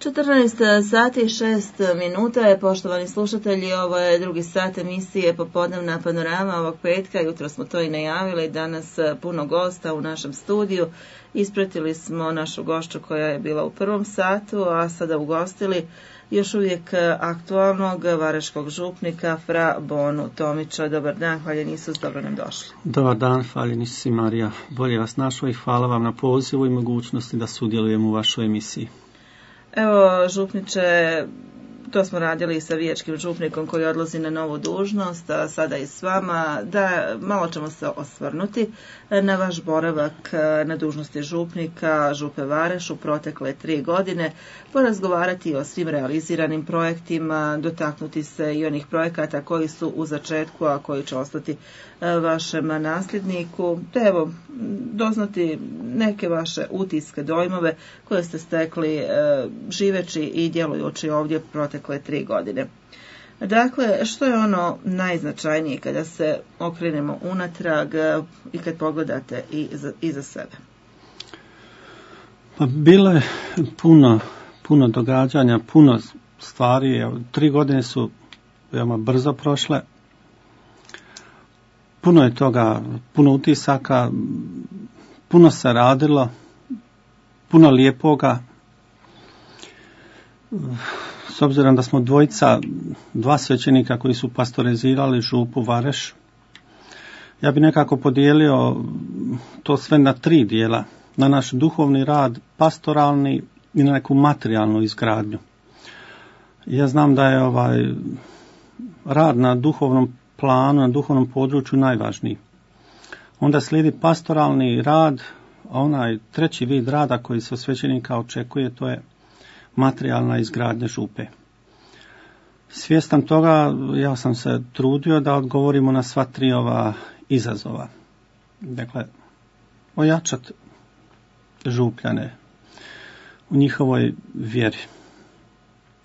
14 sati i 6 minuta je, poštovani slušatelji, ovo je drugi sat emisije Popodnevna panorama ovog petka. Jutro smo to i najavili, danas puno gosta u našem studiju. Ispratili smo našu gošću koja je bila u prvom satu, a sada ugostili još uvijek aktualnog vareškog župnika Fra Bonu Tomića. Dobar dan, hvaljeni Isus, dobro nam došli. Dobar dan, hvaljeni Isus i Marija. Bolje vas našao i hvala vam na pozivu i mogućnosti da sudjelujemo u vašoj emisiji. Evo, župniče, to smo radili i sa vijećkim župnikom koji odlazi na novu dužnost, a sada i s vama, da malo ćemo se osvrnuti na vaš boravak na dužnosti župnika Župe Vareš u protekle 3 godine, porazgovarati o svim realiziranim projektima, dotaknuti se i onih projekata koji su u začetku, a koji će ostati vašem nasljedniku, te evo, doznati neke vaše utiske, dojmove koje ste stekli živeći i djelujući ovdje protekle 3 godine. Dakle, što je ono najznačajnije kada se okrenemo unatrag i kad pogledate iza sebe? Pa bilo je puno događanja, puno stvari. 3 godine su veoma brzo prošle. Puno je toga, puno utisaka, puno se radilo, puno lijepoga. S obzirom da smo dva svećenika koji su pastorizirali župu Vareš, ja bi nekako podijelio to sve na 3 dijela. Na naš duhovni rad, pastoralni i na neku materijalnu izgradnju. Ja znam da je rad na duhovnom planu, na duhovnom području najvažniji. Onda slijedi pastoralni rad, a onaj treći vid rada koji se od svećenika očekuje, to je materijalna izgradnja župe. Svjestan toga, ja sam se trudio da odgovorimo na sva 3 ova izazova. Dakle, ojačati župljane u njihovoj vjeri.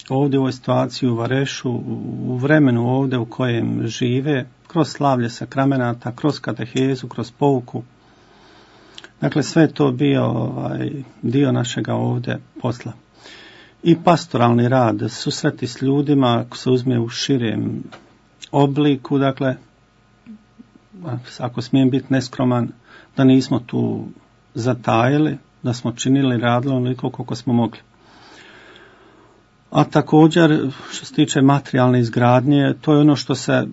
Ovdje u ovoj situaciji u Varešu, u vremenu ovdje u kojem žive, kroz slavlje sakramenata, kroz katehezu, kroz pouku. Dakle, sve je to bio dio našega ovdje posla. I pastoralni rad, susreti s ljudima, ako se uzme u širem obliku, dakle, ako smijem biti neskroman, da nismo tu zatajili, da smo činili, radili onoliko koliko smo mogli. A također, što se tiče materijalne izgradnje, to je ono što se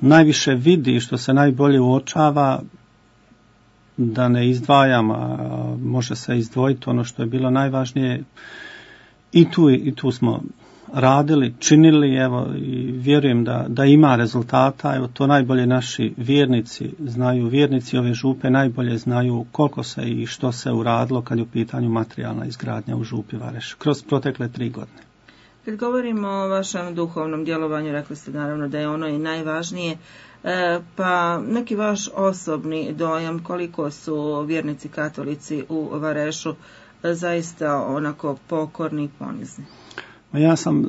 najviše vidi, što se najbolje uočava, da ne izdvajam, a može se izdvojiti ono što je bilo najvažnije. I tu smo radili, činili, evo, i vjerujem da ima rezultata. Evo, to najbolje naši vjernici znaju, vjernici ove župe najbolje znaju koliko se i što se uradilo kad je u pitanju materijalna izgradnja u župi Vareš kroz protekle 3 godine. Kad govorimo o vašem duhovnom djelovanju, rekli ste naravno da je ono i najvažnije, pa neki vaš osobni dojam koliko su vjernici katolici u Varešu zaista onako pokorni i ponizni? Ja sam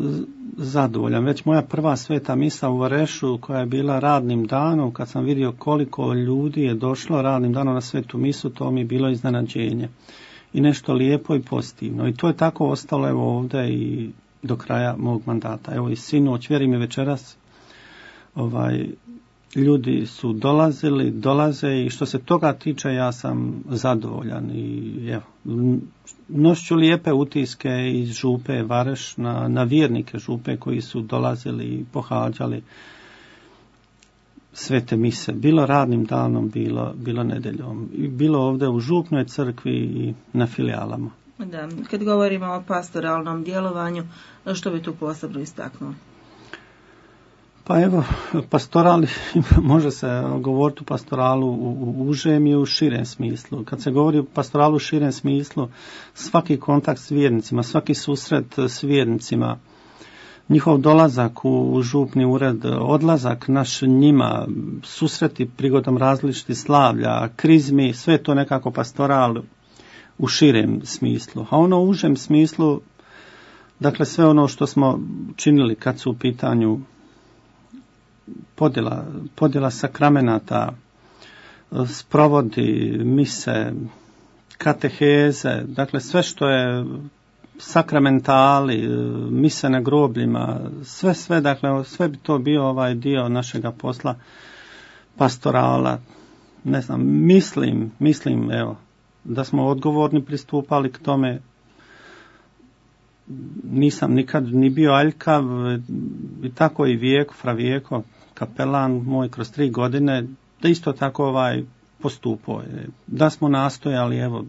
zadovoljan. Već moja prva sveta misa u Varešu koja je bila radnim danom, kad sam vidio koliko ljudi je došlo radnim danom na svetu misu, to mi je bilo iznenađenje. I nešto lijepo i pozitivno. I to je tako ostalo evo ovdje i do kraja mog mandata. Evo i sinoć, vjerujem i večeras, ljudi su dolaze i što se toga tiče ja sam zadovoljan i evo, nošću lijepe utiske iz župe Vareš na vjernike župe koji su dolazili i pohađali svete mise, bilo radnim danom, bilo nedeljom, i bilo ovdje u župnoj crkvi i na filijalama. Da, kad govorimo o pastoralnom djelovanju, što bi tu posebno istaknuo? Pa evo, pastorali, može se govoriti o pastoralu u užem i u širem smislu. Kad se govori o pastoralu u širem smislu, svaki kontakt s vjernicima, svaki susret s vjernicima, njihov dolazak u župni ured, odlazak naš njima, susreti prigodom različitih slavlja, krizmi, sve to nekako pastoral u širem smislu. A ono u užem smislu, dakle sve ono što smo činili kad su u pitanju podjela sakramenata, sprovodi, mise, kateheze, dakle sve što je sakramentali, mise na grobljima, sve, dakle, sve bi to bio ovaj dio našega posla pastorala. Ne znam, mislim, evo, da smo odgovorni pristupali k tome. Nisam nikad ni bio aljkav, i tako i Vijeko, kapelan moj kroz 3 godine, da isto tako postupao je. Da smo nastojali, evo,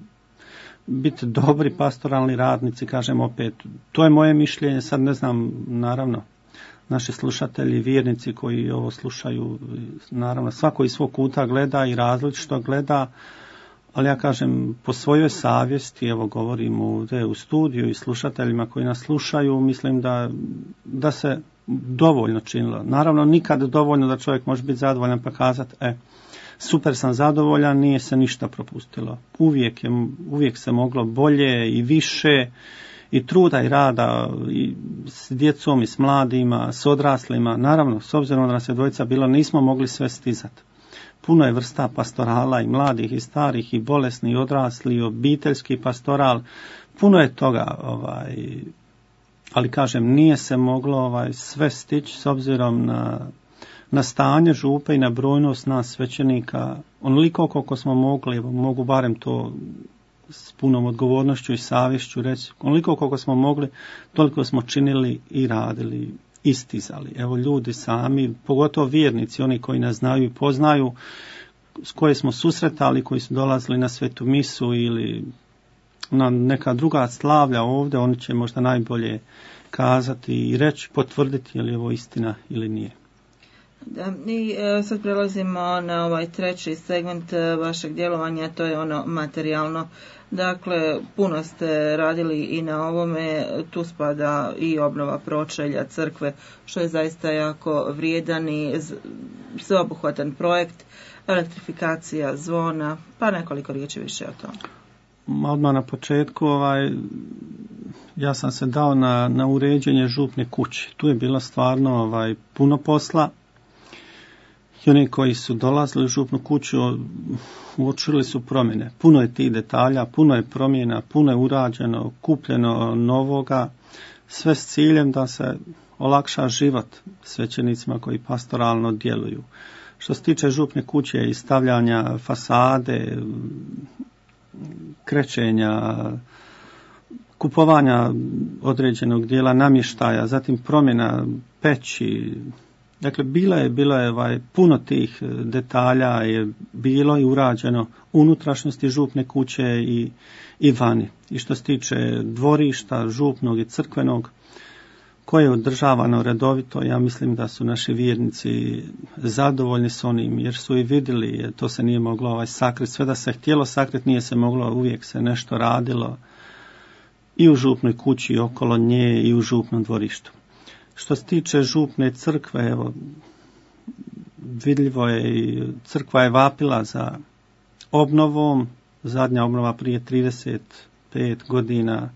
biti dobri pastoralni radnici, kažem opet, to je moje mišljenje, sad ne znam, naravno, naši slušatelji, vjernici koji ovo slušaju, naravno, svako iz svog kuta gleda i različito gleda, ali ja kažem, po svojoj savjesti, evo govorim ovdje u studiju i slušateljima koji nas slušaju, mislim da se dovoljno činilo. Naravno, nikad dovoljno da čovjek može biti zadovoljan pa kazati, super sam zadovoljan, nije se ništa propustilo. Uvijek se moglo bolje i više, i truda i rada i s djecom i s mladima, s odraslima. Naravno, s obzirom da nas je dvojica bilo, nismo mogli sve stizati. Puno je vrsta pastorala i mladih i starih i bolesni i odrasli i obiteljski pastoral. Puno je toga, ali kažem, nije se moglo sve stići s obzirom na stanje župe i na brojnost nas svećenika. Onoliko koliko smo mogli, mogu barem to s punom odgovornošću i savješću reći, onoliko koliko smo mogli, toliko smo činili i radili, istizali. Evo, ljudi sami, pogotovo vjernici, oni koji nas znaju i poznaju, s koje smo susretali, koji su dolazili na svetu misu ili na neka druga slavlja ovdje, oni će možda najbolje kazati i reći, potvrditi je li ovo istina ili nije. Da, i sad prelazimo na ovaj treći segment vašeg djelovanja, to je ono materijalno. Dakle, puno ste radili i na ovome, tu spada i obnova pročelja crkve, što je zaista jako vrijedan i sveobuhvatan projekt, elektrifikacija zvona, pa nekoliko riječi više o tome. Odmah na početku, ja sam se dao na uređenje župne kuće. Tu je bilo stvarno puno posla. I oni koji su dolazili u župnu kuću uočili su promjene. Puno je tih detalja, puno je promjena, puno je urađeno, kupljeno novoga, sve s ciljem da se olakša život svećenicima koji pastoralno djeluju. Što se tiče župne kuće i stavljanja fasade, krećenja, kupovanja određenog dijela namještaja, zatim promjena peći. Dakle, bilo je puno tih detalja je bilo i urađeno unutrašnjosti župne kuće i vani. I što se tiče dvorišta, župnog i crkvenog, koje je održavano redovito, ja mislim da su naši vjernici zadovoljni s onim, jer su i vidjeli, to se nije moglo sakriti, sve da se htjelo sakriti, nije se moglo, uvijek se nešto radilo i u župnoj kući, i okolo nje, i u župnom dvorištu. Što se tiče župne crkve, evo, vidljivo je i crkva je vapila za obnovom, zadnja obnova prije 35 godina,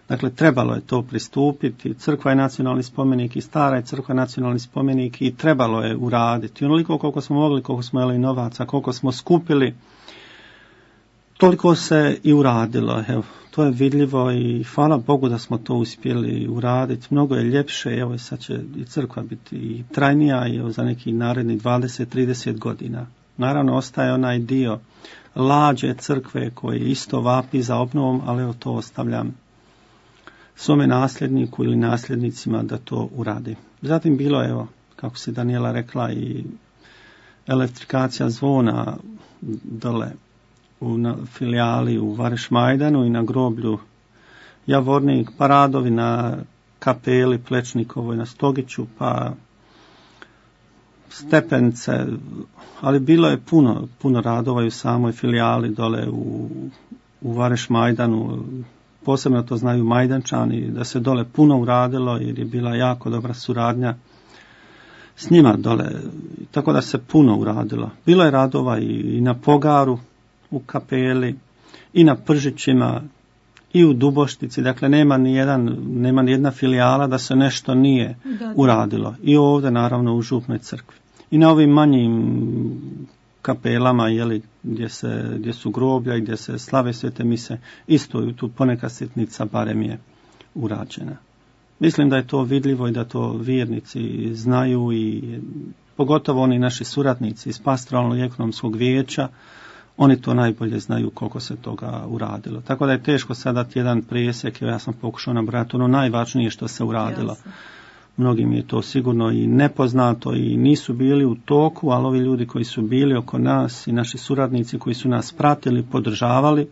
dakle trebalo je to pristupiti, crkva je nacionalni spomenik i stara je crkva nacionalni spomenik i trebalo je uraditi. Onoliko koliko smo mogli, koliko smo imali novaca, koliko smo skupili, toliko se i uradilo. Evo, to je vidljivo i hvala Bogu da smo to uspjeli uraditi. Mnogo je ljepše, evo sad će i crkva biti i trajnija i za neki naredni 20-30 godina. Naravno ostaje onaj dio lađe crkve koji isto vapi za obnovom, ali evo to ostavljam svome nasljedniku ili nasljednicima da to uradi. Zatim bilo je, evo, kako se Daniela rekla, i elektrifikacija zvona dole u filijali u Vareš Majdanu i na groblju Javornik, pa radovi na kapeli Plečnikovoj na Stogiću, pa stepence, ali bilo je puno radova i u samoj filijali dole u Vareš Majdanu. Posebno to znaju Majdančani, da se dole puno uradilo jer je bila jako dobra suradnja s njima dole, tako da se puno uradilo. Bilo je radova i na Pogaru, u kapeli, i na Pržićima, i u Duboštici, dakle nema ni jedna filijala da se nešto nije uradilo. I ovdje naravno u župnoj crkvi. I na ovim manjim kapelama, gdje su groblja i gdje se slave svete mise, isto je tu poneka sitnica barem je urađena. Mislim da je to vidljivo i da to vjernici znaju i pogotovo oni naši suradnici iz pastoralnog i ekonomskog vijeća, oni to najbolje znaju koliko se toga uradilo. Tako da je teško sad dati jedan presjek, ja sam pokušao nabrati ono najvažnije što se uradilo. Jasne. Mnogim je to sigurno i nepoznato i nisu bili u toku, ali ovi ljudi koji su bili oko nas i naši suradnici koji su nas pratili, podržavali,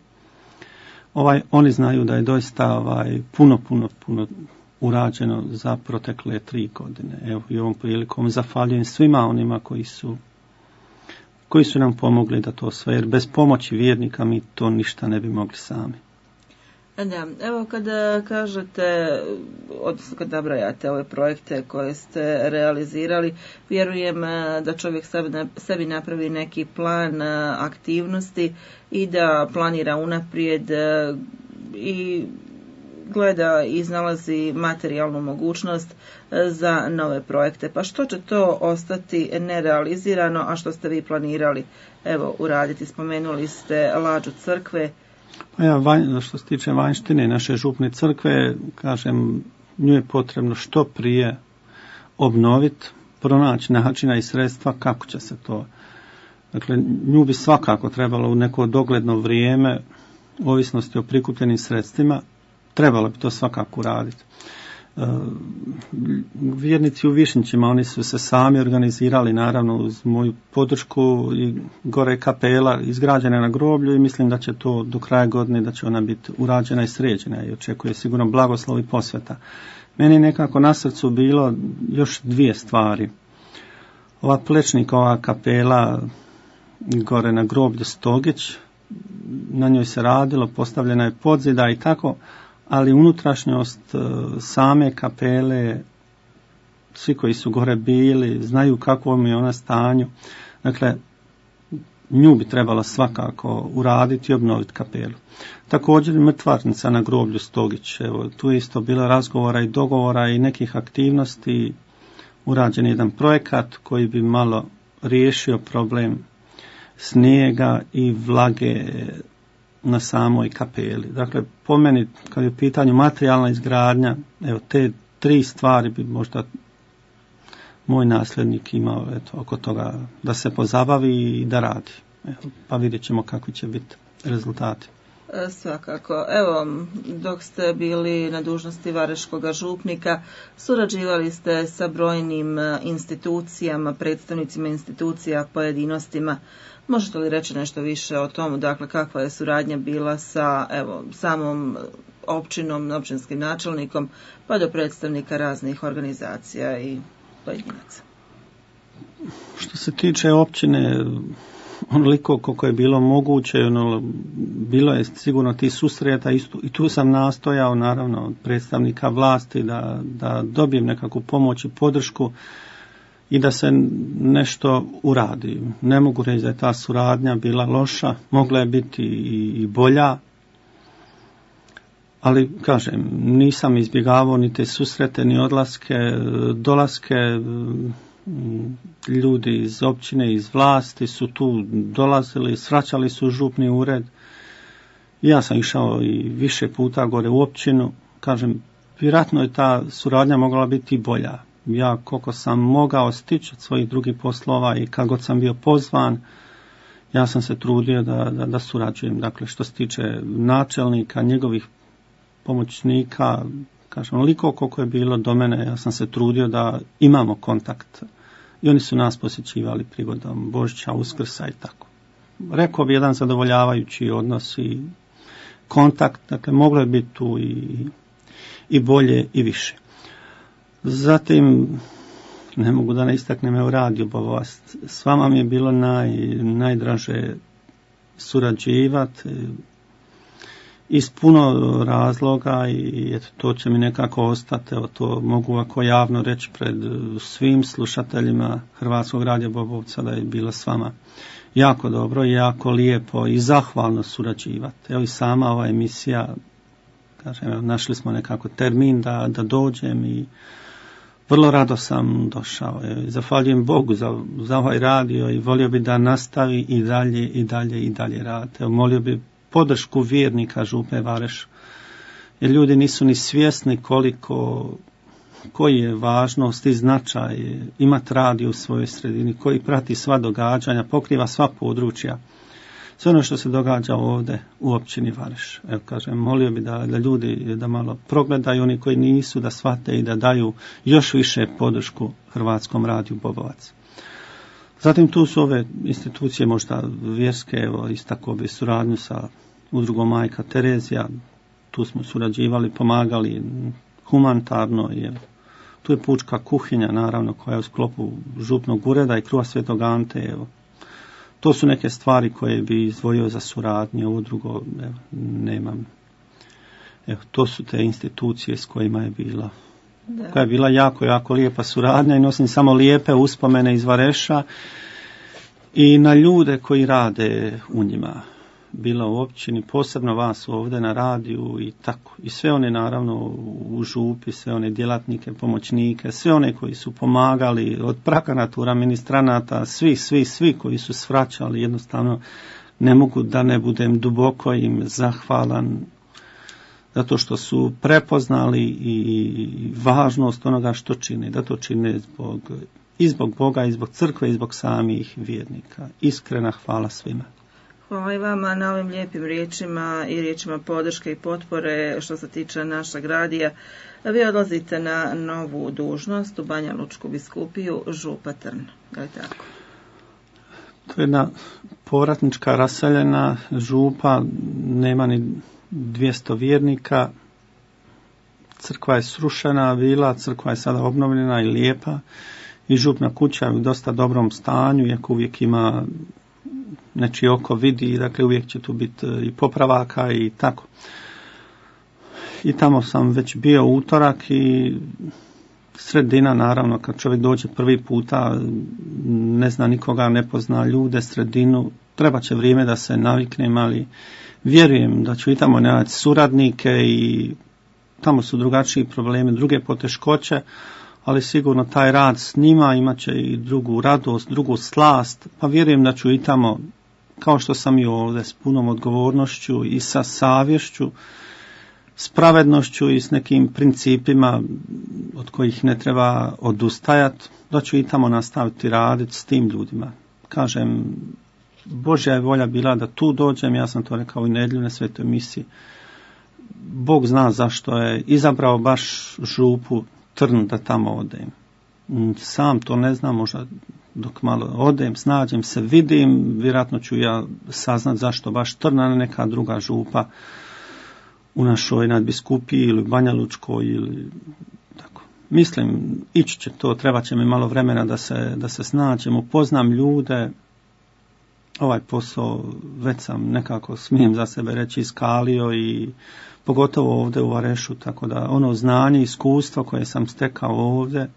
oni znaju da je doista puno urađeno za protekle 3 godine. Evo i ovom prilikom zahvaljujem svima onima koji su nam pomogli da to sve, jer bez pomoći vjernika mi to ništa ne bi mogli sami. Da, evo kada kažete, odnosno kada nabrajate ove projekte koje ste realizirali, vjerujem da čovjek sebi napravi neki plan aktivnosti i da planira unaprijed i gleda i iznalazi materijalnu mogućnost za nove projekte. Pa što će to ostati nerealizirano, a što ste vi planirali uraditi? Spomenuli ste lađu crkve. Pa što se tiče vanjštine naše župne crkve, kažem, nju je potrebno što prije obnoviti, pronaći načina i sredstva kako će se to. Dakle, nju bi svakako trebalo u neko dogledno vrijeme, ovisnosti o prikupljenim sredstvima, trebalo bi to svakako uraditi. Vjernici u Višnjićima, oni su se sami organizirali, naravno uz moju podršku, i gore kapela izgrađena na groblju i mislim da će to do kraja godine, da će ona biti urađena i sređena i očekuje sigurno blagoslov i posveta. Meni nekako na srcu bilo još 2 stvari. Ova Plečnikova kapela gore na groblju Stogić, na njoj se radilo, postavljena je podzida i tako, ali unutrašnjost same kapele, svi koji su gore bili, znaju kakvom je ona stanju. Dakle, nju bi trebalo svakako uraditi i obnoviti kapelu. Također mrtvarnica na groblju Stogić, evo, tu je isto bilo razgovora i dogovora i nekih aktivnosti, urađen jedan projekat koji bi malo riješio problem snijega i vlage na samoj kapeli. Dakle, po meni, kad je u pitanju materijalna izgradnja, evo, te 3 stvari bi možda moj nasljednik imao oko toga da se pozabavi i da radi. Evo, pa vidjet ćemo kakvi će biti rezultati. Svakako. Evo, dok ste bili na dužnosti vareškog župnika, surađivali ste sa brojnim institucijama, predstavnicima institucija, pojedinostima. Možete li reći nešto više o tomu, dakle, kakva je suradnja bila sa samom općinom, općinskim načelnikom, pa do predstavnika raznih organizacija i pojedinaca? Što se tiče općine, onoliko koliko je bilo moguće, bilo je sigurno ti susreta i tu sam nastojao, naravno, od predstavnika vlasti da dobijem nekakvu pomoć i podršku i da se nešto uradi. Ne mogu reći da je ta suradnja bila loša, mogla je biti i bolja, ali kažem, nisam izbjegavao ni te susrete, ni odlaske, dolaske. Ljudi iz općine, iz vlasti su tu dolazili, svraćali su župni ured. Ja sam išao i više puta gore u općinu. Kažem, vjerojatno je ta suradnja mogla biti i bolja. Ja koliko sam mogao stići od svojih drugih poslova i kako sam bio pozvan, ja sam se trudio da surađujem. Dakle, što se tiče načelnika, njegovih pomoćnika, kažem, onoliko koliko je bilo do mene, ja sam se trudio da imamo kontakt. I oni su nas posjećivali prigodom Božića, Uskrsa i tako. Rekao bi jedan zadovoljavajući odnos i kontakt, dakle moglo je biti tu i bolje i više. Zatim, ne mogu da ne istaknem, u radiju Bovost. S vama mi je bilo najdraže surađivati iz puno razloga i eto, to će mi nekako ostati. Evo, to mogu ovako javno reći pred svim slušateljima Hrvatskog radija Bobovca da je bilo s vama jako dobro i jako lijepo i zahvalno surađivati. Evo i sama ova emisija, kažem, evo, našli smo nekako termin da dođem i vrlo rado sam došao. Zahvaljujem Bogu za ovaj radio i volio bi da nastavi i dalje raditi. Molio bi podršku vjernika Župe Vareš jer ljudi nisu ni svjesni koji je važnost i značaj imati radio u svojoj sredini, koji prati sva događanja, pokriva sva područja. Sve ono što se događa ovdje u općini Vareš. Evo kažem, molio bi da ljudi da malo progledaju, oni koji nisu, da shvate i da daju još više podršku Hrvatskom radiju Bobovac. Zatim tu su ove institucije možda vjerske, evo istakao bi suradnju sa udrugom Majka Terezija, tu smo surađivali, pomagali humanitarno, tu je pučka kuhinja naravno koja je u sklopu župnog ureda i Kruha Svetog Ante, evo. To su neke stvari koje bi izdvojio za suradnju, ovo drugo nemam. Evo, to su te institucije s kojima je bila. Koja je bila jako, jako lijepa suradnja i nosim samo lijepe uspomene iz Vareša i na ljude koji rade u njima. Bila u općini, posebno vas ovdje na radiju i tako. I sve one naravno u župi, sve one djelatnike, pomoćnike, sve one koji su pomagali od prakanatura, ministranata, svi koji su svraćali, jednostavno ne mogu da ne budem duboko im zahvalan zato što su prepoznali i važnost onoga što čine, da to čine i zbog Boga, i zbog crkve, i zbog samih vjernika. Iskrena hvala svima. Hvala i vama na ovim lijepim riječima i riječima podrške i potpore što se tiče našeg radija. Vi odlazite na novu dužnost u Banja Lučku biskupiju, župa Trn. Je li tako? To je jedna povratnička raseljena župa, nema ni 200 vjernika. Crkva je srušena bila, crkva je sada obnovljena i lijepa i župna kuća je u dosta dobrom stanju, iako uvijek ima nečije oko vidi, dakle uvijek će tu biti i popravaka i tako. I tamo sam već bio utorak i sredina, naravno, kad čovjek dođe prvi puta, ne zna nikoga, ne pozna ljude, sredinu, treba će vrijeme da se naviknem, ali vjerujem da ću i tamo naći suradnike i tamo su drugačiji problemi, druge poteškoće, ali sigurno taj rad s njima imat će i drugu radost, drugu slast, pa vjerujem da ću i tamo, kao što sam i ovdje, s punom odgovornošću i sa savješću, s pravednošću i s nekim principima od kojih ne treba odustajati, da ću i tamo nastaviti raditi s tim ljudima. Kažem, Božja je volja bila da tu dođem, ja sam to rekao i nedjelju na svetoj misiji. Bog zna zašto je izabrao baš župu Trn da tamo odem. Sam to ne znam, možda dok malo odem, snađem se, vidim, vjerojatno ću ja saznat zašto baš Trn, a ne neka druga župa u našoj nadbiskupiji ili Banja Lučkoj ili tako. Mislim, ići će to, treba će mi malo vremena da se snađem, upoznam ljude. Ovaj posao već sam nekako, smijem za sebe reći, iskalio i pogotovo ovdje u Varešu, tako da ono znanje, iskustvo koje sam stekao ovdje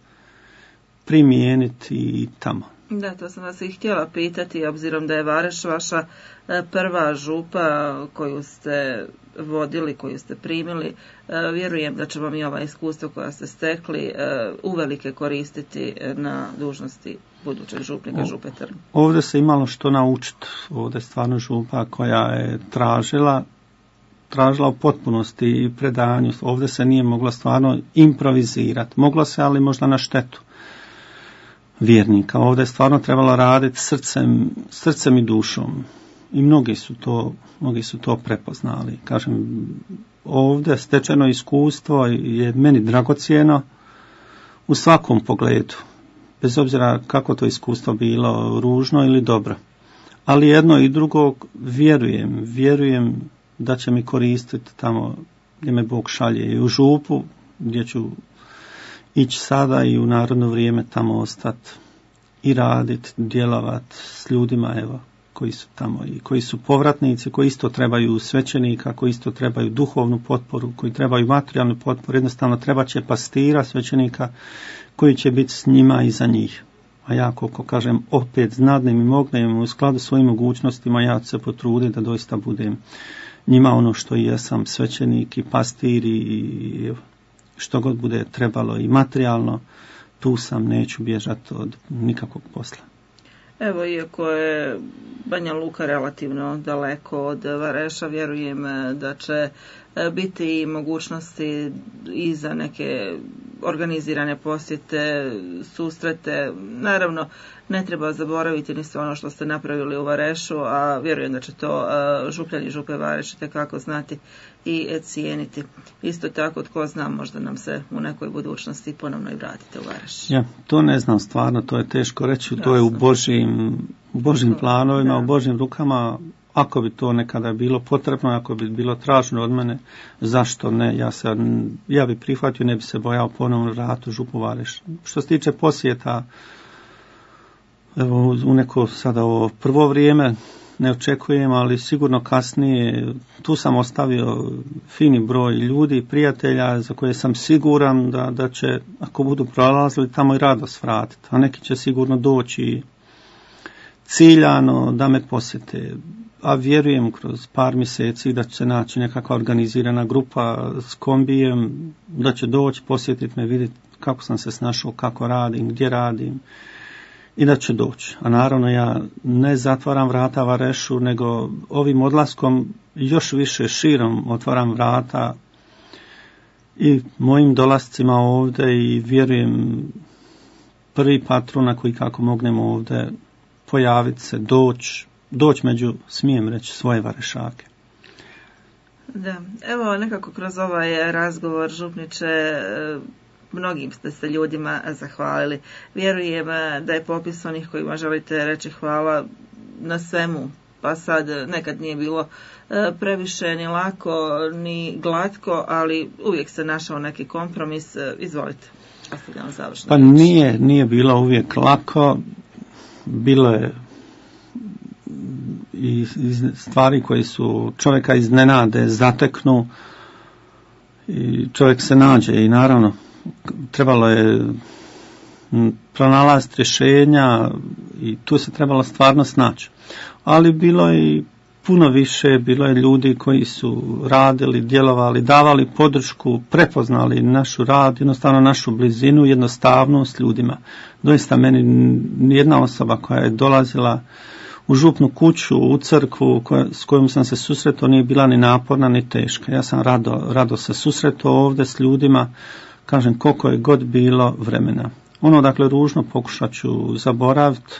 primijeniti i tamo. Da, to sam vas i htjela pitati, obzirom da je Vareš vaša prva župa koju ste vodili, koju ste primili. Vjerujem da će vam i ova iskustva koja ste stekli uvelike koristiti na dužnosti budućeg župnika župe Trn. Ovdje se imalo što naučiti. Ovdje je stvarno župa koja je tražila u potpunosti i predanju. Ovdje se nije moglo stvarno improvizirati. Moglo se, ali možda na štetu vjernika. Ovdje je stvarno trebalo raditi srcem i dušom. I mnogi su to prepoznali. Kažem, ovdje stečeno iskustvo je meni dragocjeno u svakom pogledu. Bez obzira kako to iskustvo bilo, ružno ili dobro. Ali jedno i drugo vjerujem da će mi koristiti tamo gdje me Bog šalje, i u župu gdje ću ići sada i u narodno vrijeme tamo ostati i raditi, djelovati s ljudima, evo, koji su tamo i koji su povratnici, koji isto trebaju svećenika, koji isto trebaju duhovnu potporu, koji trebaju materijalnu potporu. Jednostavno treba će pastira, svećenika koji će biti s njima i za njih. A ja, koliko kažem, opet znadnem i mognem u skladu s svojim mogućnostima, ja ću se potruditi da doista budem njima ono što i jesam, svećenik i pastir i što god bude trebalo i materijalno, tu sam, neću bježati od nikakvog posla. Evo, iako je Banja Luka relativno daleko od Vareša, vjerujem da će biti i mogućnosti i za neke organizirane posjete, susrete. Naravno, ne treba zaboraviti ni sve ono što ste napravili u Varešu, a vjerujem da će to župljani i župe Vareš itekako znati i cijeniti. Isto tako, tko zna, možda nam se u nekoj budućnosti ponovno i vratite u Vareš. Ja, to ne znam stvarno, to je teško reći, to je u Božjim planovima, u Božjim rukama. Ako bi to nekada bilo potrebno, ako bi bilo traženo od mene, zašto ne? Ja bi prihvatio, ne bi se bojao ponovno vratu župu Vareš. Što se tiče posjeta, evo u neko sada ovo prvo vrijeme ne očekujem, ali sigurno kasnije tu sam ostavio fini broj ljudi i prijatelja za koje sam siguran da će, ako budu prolazili, tamo i radost vratiti. A neki će sigurno doći ciljano da me posjete. A vjerujem kroz par mjeseci da će se naći nekakva organizirana grupa s kombijem, da će doći posjetiti me, vidjeti kako sam se snašao, kako radim, gdje radim i da će doći. A naravno ja ne zatvaram vrata Varešu, nego ovim odlaskom još više širom otvaram vrata i mojim dolascima ovdje i vjerujem prvi patrona koji kako mognemo ovdje pojaviti se, doći među, smijem reći, svoje Varešake. Da, evo nekako kroz ovaj razgovor, župniče, mnogim ste se ljudima zahvalili. Vjerujem da je popis onih kojima želite reći hvala na svemu, pa sad nekad nije bilo previše ni lako ni glatko, ali uvijek se našao neki kompromis. Izvolite, ostavljamo završno. Pa nije bilo uvijek lako, bilo je i stvari koje su čovjeka iznenade, zateknu i čovjek se nađe i naravno trebalo je pronalaziti rješenja i tu se trebalo stvarno snaći. Ali bilo je i puno više, bilo je ljudi koji su radili, djelovali, davali podršku, prepoznali našu rad, jednostavno našu blizinu, jednostavnost ljudima. Doista meni nijedna osoba koja je dolazila u župnu kuću, u crkvu s kojom sam se susretao nije bila ni naporna ni teška. Ja sam rado se susretao ovdje s ljudima, kažem koliko je god bilo vremena. Ono dakle ružno pokušat ću zaboraviti,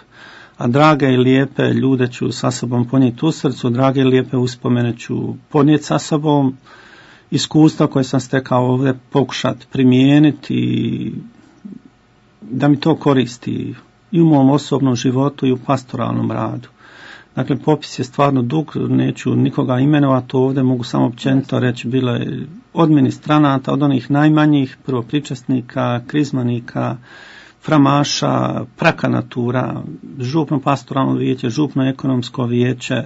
a drage i lijepe ljude ću sa sobom ponijeti u srcu, drage i lijepe uspomene ću ponijeti sa sobom, iskustva koje sam stekao ovdje pokušati primijeniti i da mi to koristi i u mom osobnom životu i u pastoralnom radu. Dakle, popis je stvarno dug, neću nikoga imenovati ovdje, mogu samo općenito reći, bilo je od ministranata, od onih najmanjih, prvopričesnika, krizmanika, framaša, prakanatura, župno pastoralno vijeće, župno ekonomsko vijeće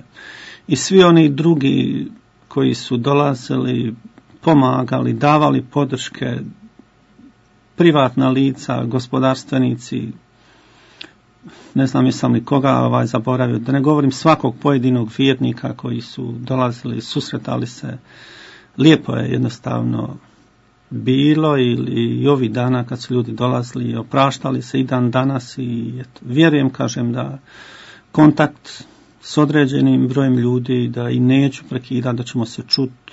i svi oni drugi koji su dolazili, pomagali, davali podrške, privatna lica, gospodarstvenici, ne znam jesam li koga zaboravio, da ne govorim svakog pojedinog vjernika koji su dolazili, susretali se. Lijepo je jednostavno bilo i ovih dana kad su ljudi dolazili, opraštali se i dan danas i vjerujem, kažem, da kontakt s određenim brojem ljudi, da i neću prekidati, da ćemo se čuti.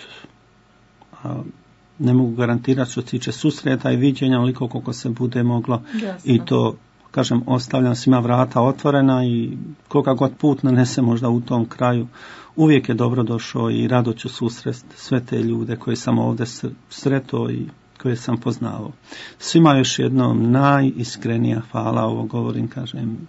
Ne mogu garantirati što se tiče susreta i viđenja, onoliko koliko se bude moglo. Jasno. I to, kažem, ostavljam svima vrata otvorena i koga god put nanese možda u tom kraju, uvijek je dobro došao i rado ću susresti sve te ljude koje sam ovdje sretao i koje sam poznavao. Svima još jednom najiskrenija hvala, ovo govorim, kažem,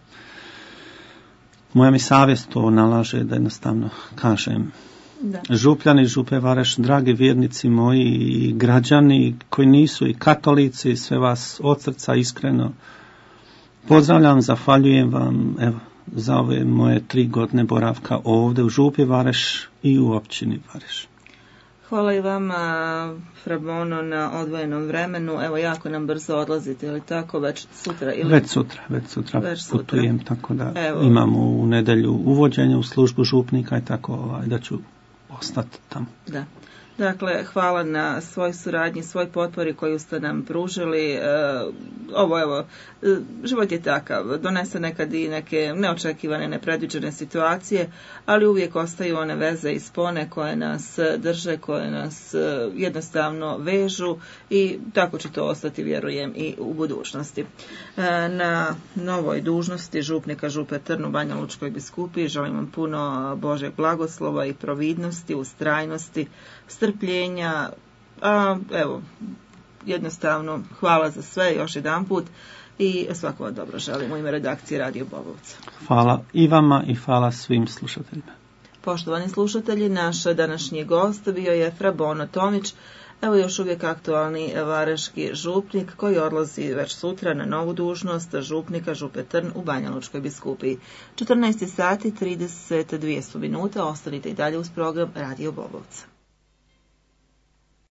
moja mi savjest to nalaže da jednostavno kažem. Da. Župljani, župe Vareš, dragi vjernici moji i građani koji nisu i katolici, sve vas od srca iskreno pozdravljam, zahvaljujem vam za ove moje 3 godine boravka ovdje u župi Vareš i u općini Vareš. Hvala i vama, Fra Bono, na odvojenom vremenu. Evo, jako nam brzo odlazite, ili tako, već sutra? Ili... Već sutra putujem, tako da imam u nedjelju uvođenje u službu župnika i tako da ću ostati tamo. Da. Dakle, hvala na svoj suradnji, svoj potpori koju ste nam pružili. Život je takav, donese nekad i neke neočekivane, nepredviđene situacije, ali uvijek ostaju one veze i spone koje nas drže, koje nas jednostavno vežu i tako će to ostati, vjerujem, i u budućnosti. Na novoj dužnosti župnika Župe Trn u Banja Lučkoj biskupiji želim vam puno Božeg blagoslova i providnosti, ustrajnosti, strpljenja, jednostavno hvala za sve još jedanput i svako vam dobro želim u ime redakcije Radio Bobovca. Hvala i vama i hvala svim slušateljima. Poštovani slušatelji, naš današnji gost bio je Fra Bono Tomić, evo još uvijek aktualni vareški župnik koji odlazi već sutra na novu dužnost župnika Župe Trn u Banja Lučkoj biskupiji. 14 sati 32 minute, ostanite i dalje uz program Radio Bobovca.